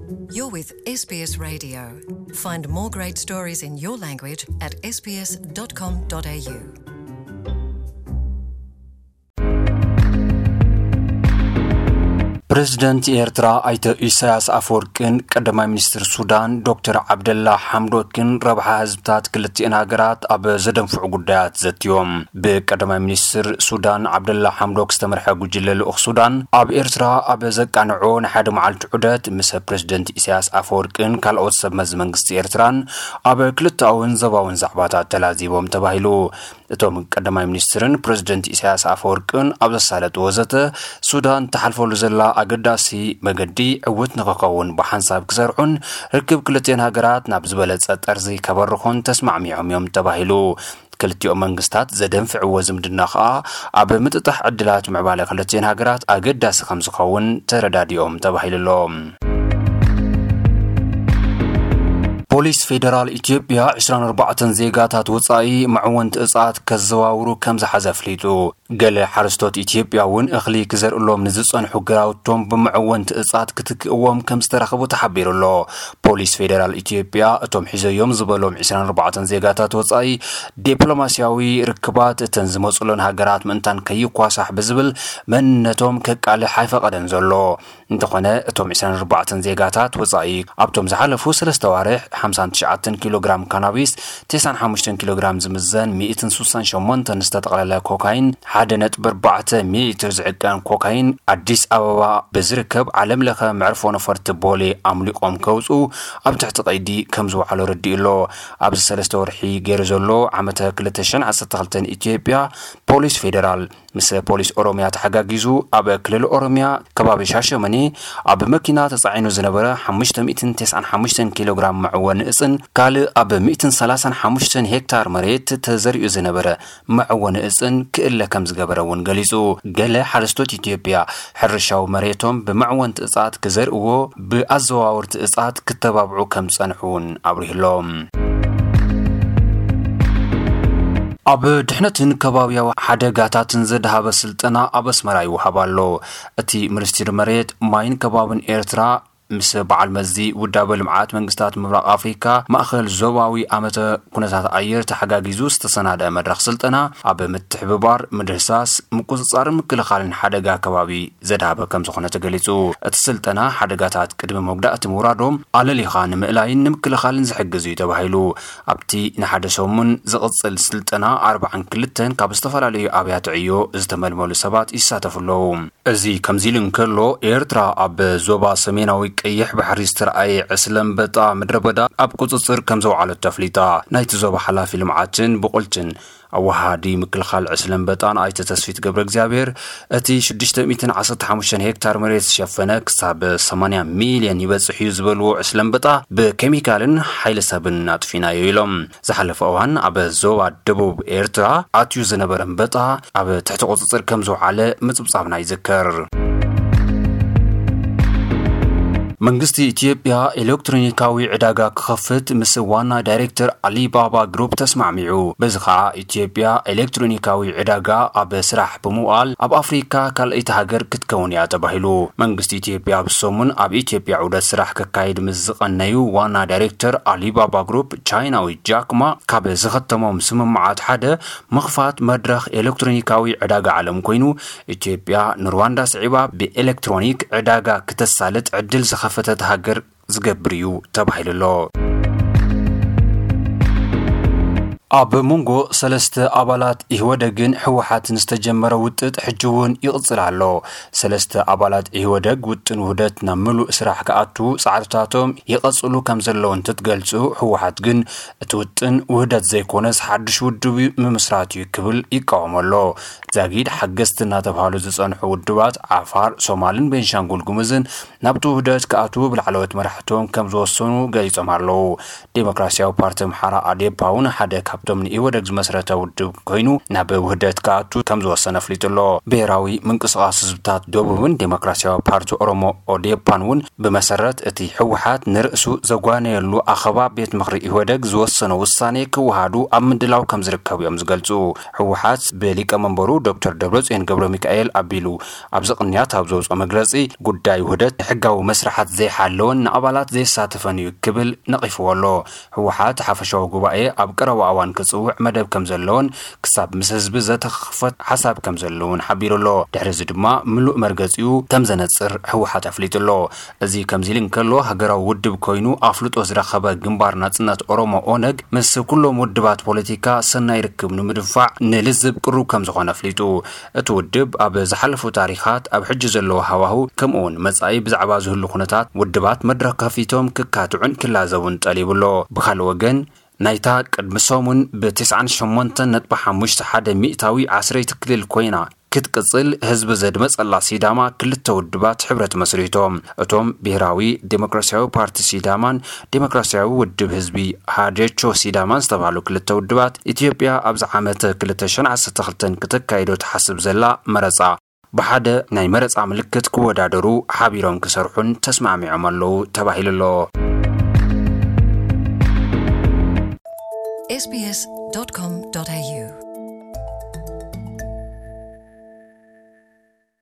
You're with S B S Radio. Find more great stories in your language at S B S dot com dot A U. ፕሬዝደንት ኤርትራ ኣይተ ኢሳያስ ኣፈወርቅን ቀዳማይ ሚኒስትር ሱዳን ዶክተር ዓብደላ ሓምዶክን ረብሓ ህዝብታት ክልቲአን ሃገራት ኣብ ዘደንፍዑ ጉዳያት ዘትዮም። ብቀዳማይ ሚኒስትር ሱዳን ዓብደላ ሓምዶክ ዝተመርሐ ጉጅለ ልኡኽ ሱዳን ኣብ ኤርትራ ኣብ ዘቃንዖ ንሓደ መዓልቲ ዑደት ምስ ፕሬዝደንት ኢሳያስ ኣፈወርቅን ካልኦት ሰብ መዚ መንግስቲ ኤርትራን ኣብ ክልተኣውን ዞባውን ዛዕባታት ተላዚቦም ተባሂሉ። እቶም ቀዳማይ ሚኒስትርን ፕሬዝደንት ኢሳያስ ኣፈወርቅን ኣብ ዘሳለጥዎ ዘተ፣ ሱዳን ትሓልፈሉ ዘላ ኣገዳሲ መገዲ ዕውት ንክኸውን ብሓንሳብ ክሰርሑን ርክብ ክልቲአን ሃገራት ናብ ዝበለጸ ጠርዚ ከበርኾን ተስማዕሚዖም እዮም ተባሂሉ። ክልቲኦም መንግስታት ዘደንፍዕዎ ዝምድና ከኣ ኣብ ምጥጣሕ ዕድላት ምዕባለ ክልቲአን ሃገራት ኣገዳሲ ከም ዝኸውን ተረዳዲኦም ተባሂሉ ኣሎ። ፖሊስ ፌደራል ኢትዮጵያ ዕስራን ኣርባዕተን ዜጋታት ወጻኢ መዕወንቲ እጽዋት ከዘዋውሩ ከም ዝሓዘ ኣፍሊጡ። ገለ ሓረስቶት ኢትዮጵያ እውን እኽሊ ክዘርእሎም ንዝጸንሑ ግራውቶም ብመዕወንቲ እጽዋት ክትክእዎም ከም ዝተረኽቡ ተሓቢሩ ኣሎ። ፖሊስ ፌደራል ኢትዮጵያ እቶም ሒዘዮም ዝበሎም ዕስራን ኣርባዕተን ዜጋታት ወጻኢ ዲፕሎማስያዊ ርክባት እተን ዝመጹለን ሃገራት ምእንታን ከይኳሳሕ ብዝብል መንነቶም ከቃልሕ ኣይፈቐደን ዘሎ። እንተኾነ እቶም ዕስራን ኣርባዕተን ዜጋታት ወጻኢ ኣብቶም ዝሓለፉ ሰለስተ ኣዋርሕ ሓምሳን ትሽዓተን ኪሎ ግራም ካናቢስ፣ ተስዓን ሓሙሽተን ኪሎ ግራም ዝምዘን ሚእትን ስሳን ሸሞንተን ዝተጠቕለለ ኮካይን፣ ሓደ ነጥቢ ኣርባዕተ ሚሊሊትር ዝዕቀን ኮካይን ኣዲስ ኣበባ ብዝርከብ ዓለም ለኸ መዕርፎ ነፈርቲ ቦሌ ኣምሊቖም ከውጽኡ ኣብ ትሕቲ ቀይዲ ከም ዝወዓሉ ረዲኡ ኣሎ። ኣብዚ ሰለስተ ወርሒ ገይሩ ዘሎ ዓመተ ክልተ ሽሕን ዓሰርተ ክልተን ኢትዮጵያ ፖሊስ ፌደራል ምስ ፖሊስ ኦሮሚያ ተሓጋጊዙ ኣብ ክልል ኦሮሚያ ከባቢ ሻሸመኔ ኣብ መኪና ተጻዒኑ ዝነበረ ሓሙሽተ ሚእትን ተስዓን ሓሙሽተን ኪሎ ግራም መዕወኒ እጽን ካልእ ኣብ ሚእትን ሰላሳን ሓሙሽተን ሄክታር መሬት ተዘሪኡ ዝነበረ መዕወኒ እጽን ክእለ ከም ዝገበረ እውን ገሊጹ። ገለ ሓረስቶት ኢትዮጵያ ሕርሻዊ መሬቶም ብመዕወንቲ እጽዋት ክዘርእዎ ብኣዘዋወርቲ እጽዋት ክተባብዑ ከም ዝጸንሑ እውን ኣብሪሁሎም። ኣብ ድሕነትን ከባብያዊ ሓደጋታትን ዘድሃበ ስልጠና ኣብ ኣስመራ ይወሃብ ኣሎ። እቲ ሚኒስትሪ መሬት፣ ማይን ከባብን ኤርትራ ምስ በዓል መዚ ውዳበ ልምዓት መንግስታት ምብራቕ ኣፍሪካ ማእኸል ዞባዊ ኣመተ ኩነታት ኣየር ተሓጋጊዙ ዝተሰናደአ መድረኽ ስልጠና ኣብ ምትሕብባር ምድህሳስ፣ ምቁጽጻርን ምክልኻልን ሓደጋ ከባቢ ዘድሃበ ከም ዝኾነ ተገሊጹ። እቲ ስልጠና ሓደጋታት ቅድሚ መጉዳእቲ ምውራዶም ኣለሊኻ ንምእላይን ንምክልኻልን ዝሕግዝ እዩ ተባሂሉ። ኣብቲ ንሓደ ሰሙን ዝቕጽል ስልጠና ኣርባዓን ክልተን ካብ ዝተፈላለዩ ኣብያተ ዕዮ ዝተመልመሉ ሰባት ይሳተፉ ኣለዉ። እዚ ከምዚ ኢሉ እንከሎ፣ ኤርትራ ኣብ ዞባ ሰሜናዊ ቀይሕ ባሕሪ ዝተረኣየ ዕስለ ኣንበጣ ምድረ በዳ ኣብ ቁጽጽር ከም ዘውዓለቶ ኣፍሊጣ። ናይቲ ዞባ ሓላፊ ልምዓትን ብቑልትን ኣወሃሃዲ ምክልኻል ዕስለ ኣንበጣን ኣይተ ተስፊት ገብረ እግዚኣብሔር፣ እቲ ሽዱሽተ ሚእትን ዓሰርተ ሓሙሽተን ሄክታር መሬት ዝሸፈነ ክሳብ ሰማንያ ሚልዮን ይበጽሕ እዩ ዝበልዎ ዕስለ ኣንበጣ ብኬሚካልን ሓይሊ ሰብን ኣጥፊናዮ ኢሎም። ዝሓለፈ እዋን ኣብ ዞባ ደቡብ ኤርትራ ኣትዩ ዝነበረ ኣንበጣ ኣብ ትሕቲ ቁጽጽር ከም ዝውዓለ ምጽብጻብና ይዝከር። መንግስቲ ኢትዮጵያ ኤሌክትሮኒካዊ ዕዳጋ ክኸፍት ምስ ዋና ዳይሬክተር ኣሊባባ ግሩፕ ተስማዕሚዑ። በዚ ኸኣ ኢትዮጵያ ኤሌክትሮኒካዊ ዕዳጋ ኣብ ስራሕ ብምውዓል ኣብ ኣፍሪካ ካልኣይቲ ሃገር ክትከውን እያ ተባሂሉ። መንግስቲ ኢትዮጵያ ኣብዚ ሰሙን ኣብ ኢትዮጵያ ዑደት ስራሕ ከካይድ ምስ ዝቐነዩ ዋና ዳይሬክተር ኣሊባባ ግሩፕ ቻይናዊ ጃክማ ካብ ዝኸተሞም ስምምዓት ሓደ ምኽፋት መድረኽ ኤሌክትሮኒካዊ ዕዳጋ ዓለም ኮይኑ፣ ኢትዮጵያ ንሩዋንዳ ስዒባ ብኤሌክትሮኒክ ዕዳጋ ክተሳልጥ ዕድል ዝኸፈተት ሃገር ዝገብር እዩ ተባሂሉ ኣሎ። ኣብ መንጎ ሰለስተ ኣባላት ኢህወደግን ህወሓትን ዝተጀመረ ውጥጥ ሕጂ እውን ይቕጽል ኣሎ። ሰለስተ ኣባላት ኢህወደግ ውጥን ውህደት ናብ ምሉእ ስራሕ ክኣቱ ጻዕርታቶም ይቐጽሉ ከም ዘለዉ እንትትገልጹ፣ ህወሓት ግን እቲ ውጥን ውህደት ዘይኮነስ ሓድሽ ውድብ ምምስራት እዩ ክብል ይቃወሞ ኣሎ። ዛጊድ ሓገዝቲ እናተባህሉ ዝጸንሑ ውድባት ዓፋር፣ ሶማልን ቤንሻንጉል ጉምዝን ናብቲ ውህደት ክኣትዉ ብላዕለዎት መራሕቶም ከም ዝወሰኑ ገሊጾም ኣለዉ። ዴሞክራሲያዊ ፓርቲ ኣምሓራ ኣዴፓ እውን ሓደ ካብ እቶም ንኢህወደግ ዝመስረተ ውድብ ኮይኑ ናብ ውህደት ክኣቱ ከም ዝወሰነ ኣፍሊጡ ኣሎ። ብሔራዊ ምንቅስቃስ ህዝብታት ደቡብን ዴሞክራሲያዊ ፓርቲ ኦሮሞ ኦዴፓን እውን ብመሰረት እቲ ህወሓት ንርእሱ ዘጓነየሉ ኣኸባ ቤት ምኽሪ ኢህወደግ ዝወሰኖ ውሳኔ ክወሃዱ ኣብ ምድላው ከም ዝርከቡ እዮም ዝገልጹ። ህወሓት ብሊቀመንበሩ ዶክተር ደብረጽዮን ገብረ ሚካኤል ኣቢሉ ኣብዚ ቅንያት ኣብ ዘውፅኦ መግለፂ፣ ጉዳይ ውህደት ሕጋዊ መስርሓት ዘይሓለወን ንኣባላት ዘየሳተፈን እዩ ክብል ነቒፍዎ ኣሎ። ህወሓት ሓፈሻዊ ጉባኤ ኣብ ቀረባ እዋን ክፅውዕ መደብ ከም ዘለዎን ክሳብ ምስ ህዝቢ ዘተኸኽፈት ሓሳብ ከም ዘለውን ሓቢሩ ኣሎ። ድሕሪ እዚ ድማ ምሉእ መርገፂኡ ከም ዘነፅር ህወሓት ኣፍሊጡ ኣሎ። እዚ ከምዚ ኢሉ እንከሎ፣ ሃገራዊ ውድብ ኮይኑ ኣፍልጦ ዝረኸበ ግንባር ናጽነት ኦሮሞ ኦነግ ምስ ኩሎም ውድባት ፖለቲካ ሰናይ ርክብ ንምድንፋዕ ንልዝብ ቅሩብ ከም ዝኾነ ኣፍሊጡ። እቲ ውድብ ኣብ ዝሓለፉ ታሪኻት፣ ኣብ ሕጂ ዘለዎ ሃዋሁ፣ ከምኡውን መጻኢ ብዛዕባ ዝህሉ ኩነታት ውድባት መድረኽ ከፊቶም ክካትዑን ክላዘቡን ጠሊቡ ኣሎ። ብኻልእ ወገን፣ ናይታ ቅድሚ ሰሙን ብ98.51% ዓስረይቲ ክልል ኮይና ክትቅጽል ህዝቢ ዘድመጸላ ሲዳማ፣ ክልተ ውድባት ሕብረት መስሪቶም። እቶም ብሔራዊ ዴሞክራሲያዊ ፓርቲ ሲዳማን ዴሞክራሲያዊ ውድብ ህዝቢ ሃዴቾ ሲዳማን ዝተባህሉ ክልተ ውድባት፣ ኢትዮጵያ ኣብዚ ዓመት ክልተ ሽሕን ዓሰርተ ክልተን ክተካይዶ ትሓስብ ዘላ መረጻ ብሓደ ናይ መረጻ ምልክት ክወዳደሩ ሓቢሮም ክሰርሑን ተስማዕሚዖም ኣለዉ ተባሂሉ ኣሎ። ኤስቢኤስ ዶት ኮም ዶት ኤዩ